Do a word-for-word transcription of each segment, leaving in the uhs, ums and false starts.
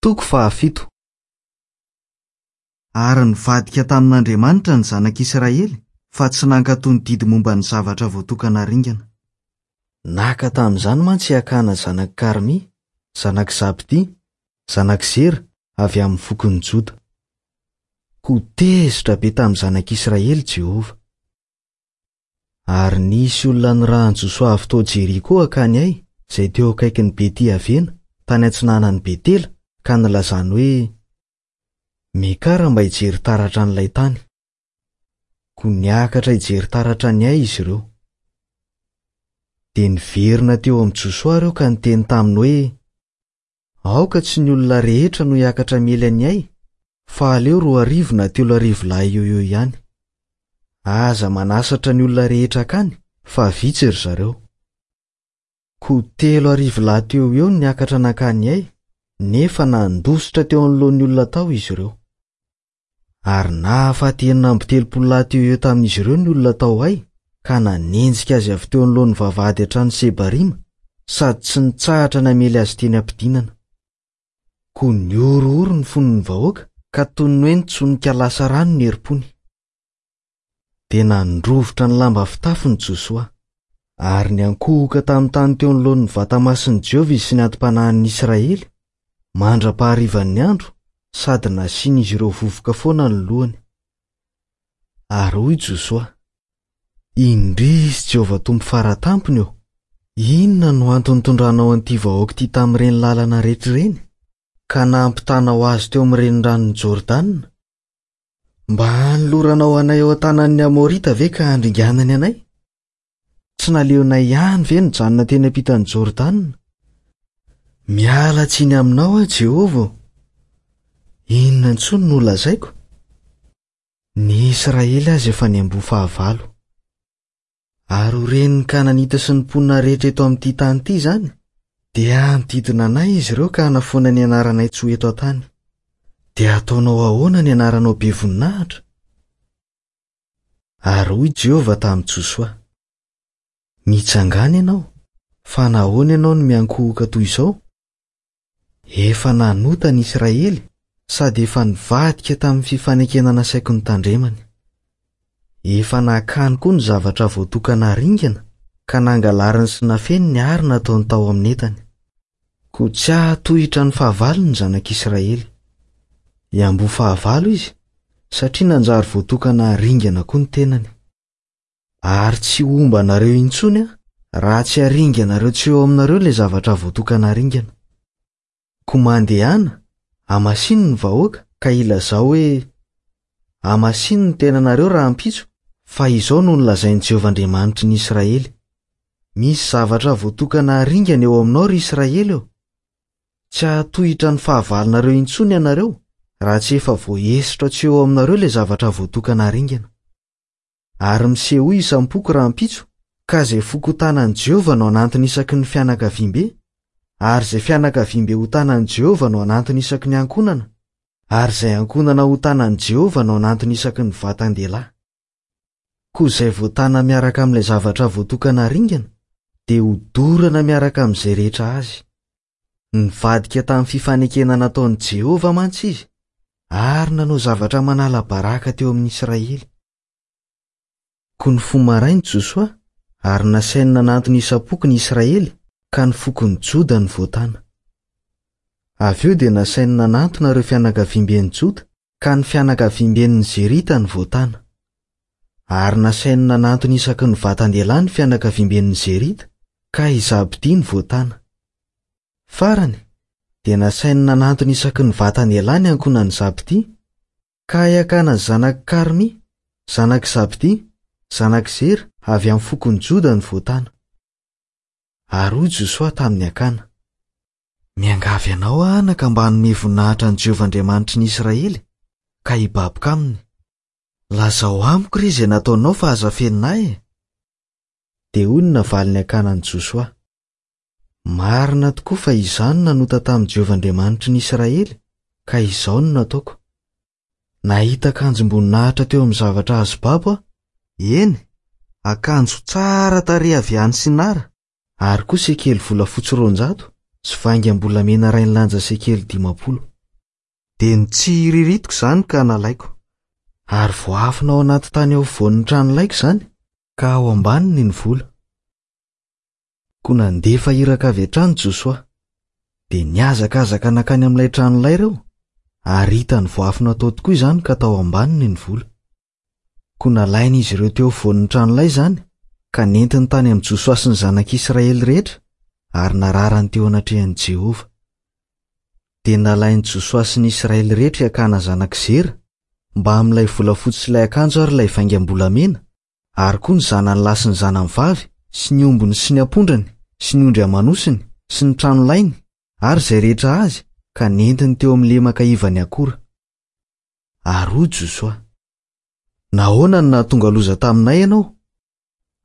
Toko fahafito. Ary nivadika tamin'Andriamanitra ny zanak'Israely fa tsy nankatò ny didy momba ny zavatra voatokana ringana. Naka tamin'izany mantsy i Akana zanak'i Karmy, zanak'i Zabdi, zanak'i Zera avy amin'ny fokon'i Joda. Koa tezitra be tamin'ny zanak'Israely Jehovah. Ary nisy olona nirahan'i Josoa avy tao Jeriko hankany Ay, izay teo akaikin'i Beti-Avena, tany atsinanan'i Betela, ka nilazany hoe: "Miakara mba hijery taratra an'ilay tany." Koa niakatra hijery taratra ny Ay izy ireo. Dia niverina teo amin'i Josoa ireo ka niteny taminy hoe: "Aoka tsy ny olona rehetra no hiakatra miely an'i Ay, fa aleo roa arivo na telo arivo lahy eo eo ihany. Aza manasatra ny olona rehetra hankany, fa vitsy ry zareo." Koa telo arivo lahy teo eo no niakatra nankany Ay, nefa nandositra teo anoloan'ny olona tao izy ireo. Ary nahafaty enina amby telopolo lahy teo eo tamin'izy ireo ny olona tao Ay, ka nanenjika azy avy teo anoloan'ny vavahady hatrany Sebarima, sady tsy nitsahatra namely azy teny am-pidinana. Koa nihorohoro ny fon'ny vahoaka, ka toy ny hoe nitsonika lasa rano ny herim-pony. Dia nandrovitra ny lamba fitafiny Josoa, ary niankohoka tamin'ny tany teo anoloan'ny vatamasin'i Jehovah izy sy ny anti-panahin'ny Israely, mandra-paharivan'ny andro, sady nasian'izy ireo vovoka foana ny lohany. Ary hoy Josoa: "Indrisy Jehovah Tompo faratampony ô! Inona no antony nitondranao an'ity vahoaka ity tamin'ireny lalana rehetra ireny, ka nampitanao azy teo amin'ny reniranon'i Jordana? Mba hanoloranao anay eo an-tanan'ny Amorita ve ka handringanany anay? Tsy naleonay ihany ve nijanona teny ampitan'i Jordana? Miala tsiny aminao aho, Jehovah ô! Inona intsony no lazaiko? Ny Israely aza efa niamboho fahavalo. Ary ho ren'ny Kananita sy ny mponina rehetra eto amin'ity tany ity izany, dia hanodidina anay izy ireo ka hanafoana ny anaranay tsy ho eto an-tany. Dia hataonao ahoana ny anaranao be voninahitra?" Ary hoy Jehovah tamin'i Josoa: "Mitsangàna ianao, fa nahoana ianao no miankohoka toy izao? Efa nanota ny Israely sady efa nivadika tamin'ny fifanekena nasaiko notandremany. Efa nakany koa ny zavatra voatokana ringana ka nangalariny sy nafeniny ary nataony tao amin'ny entany. Koa tsy hahatohitra ny fahavalo ny zanak'Israely. Hiamboho fahavalo izy, satria nanjary voatokana ringana koa ny tenany. Ary tsy homba anareo intsony aho, raha tsy haringanareo tsy eo aminareo ilay zavatra voatokana ringana. Koa mandehana, hamasino ny vahoaka ka ilazao hoe: 'Hamasino ny tenanareo rahampitso, fa izao no nolazain'i Jehovah Andriamanitry ny Israely: Misy zavatra voatokana ringana eo aminao, ry Israely ô! Tsy hahatohitra ny fahavalonareo intsony ianareo, raha tsy efa voaesotra tsy eo aminareo ilay zavatra voatokana ringana. Ary misehoa isam-poko rahampitso, ka izay foko hotanan'i Jehovah no hanantona isaky ny fianakaviambe, ary izay fianakaviambe hotanan'i Jehovah no hanantona isaky ny ankohonana, ary izay ankohonana hotanan'i Jehovah no hanantona isaky ny vatan-dehilahy. Koa izay voatana miaraka amin'ilay zavatra voatokana ringana, dia hodorana miaraka amin'izay rehetra azy. Nivadika tamin'ny fifanekena nataon'i Jehovah mantsy izy, ary nanao zavatra manala baraka teo amin'ny Israely." Koa nifoha maraina Josoa, ary nasainy nanantona isam-poko ny Israely, ka ny fokon'i Joda no voatana. Avy eo dia nasainy nanantona ireo fianakaviamben'i Joda, ka ny fianakaviamben'ny Zerita no voatana. Ary nasainy nanantona isaky ny vatan-dehilahy ny fianakaviamben'ny Zerita, ka i Zabdi no voatana. Farany, dia nasainy nanantona isaky ny vatan-dehilahy ny ankohonan'i Zabdi, ka i Akana zanak'i Karmy, zanak'i Zabdi, zanak'i Zera avy amin'ny fokon'i Joda no voatana. Ary hoy Josoa tamin'i Akana: "Miangavy anao aho anaka mba hanome voninahitra an'i Jehovah Andriamanitry ny Israely, ka hibaboka aminy. Lazao amiko re izay nataonao fa aza afenina ahy e." Dia hoy ny navalin'i Akana an'i Josoa: "Marina tokoa fa izaho no nanota tamin'i Jehovah Andriamanitry ny Israely, ka izao no nataoko. Nahita akanjom-boninahitra teo amin'ny zavatra azo babo aho, eny, akanjo tsara tarehy avy any Sinara, ary koa sekely volafotsy roanjato sy vaingam-bolamena iray nilanja sekely dimampolo. Dia nitsiriritiko izany ka nalaiko. Ary voaafina ao anaty tany ao afovoan'ny tranolaiko izany, ka ao ambaniny ny vola. Koa nandefa iraka avy hatrany Josoa. Dia nihazakazaka nankany amin'ilay tranolay ireo, ary hitany voaafina tao tokoa izany ka tao ambaniny ny vola. Koa nalain'izy ireo teo afovoan'ny tranolay izany, ka nentiny tany amin'i Josoa sy ny zanak'Israely rehetra, ary nararany teo anatrehan'i Jehovah. Dia nalain'i Josoa sy ny Israely rehetra i Akana zanak'i Zera, mbamin'ilay volafotsy sy ilay akanjo ary ilay vaingam-bolamena, ary koa ny zanany lahy sy ny zanany vavy, sy ny ombiny sy ny ampondrany, sy ny ondry aman'osiny, sy ny tranolainy, ary izay rehetra azy, ka nentiny teo amin'ny lemaka ivan'i Akora. Ary hoy Josoa: Nahoana no nahatonga loza taminay ianao?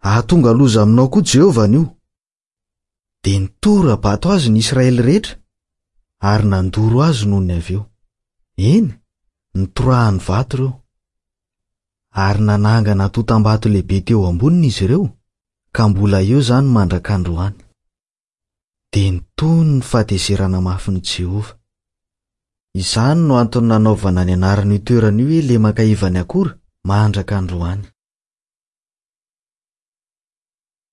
Hahatonga loza aminao koa Jehovah anio. Dia nitora-bato azy ny Israely rehetra, ary nandoro azy nony avy eo. Eny, nitorahany vato ireo. Ary nanangana antontam-bato lehibe teo amboniny izy ireo, ka mbola eo izany mandrak'androany. Dia nitony ny fahatezerana mafin'i Jehovah. Izany no antony nanaovana ny anaran'io toerana io hoe lemaka ivan'i Akora mandrak'androany.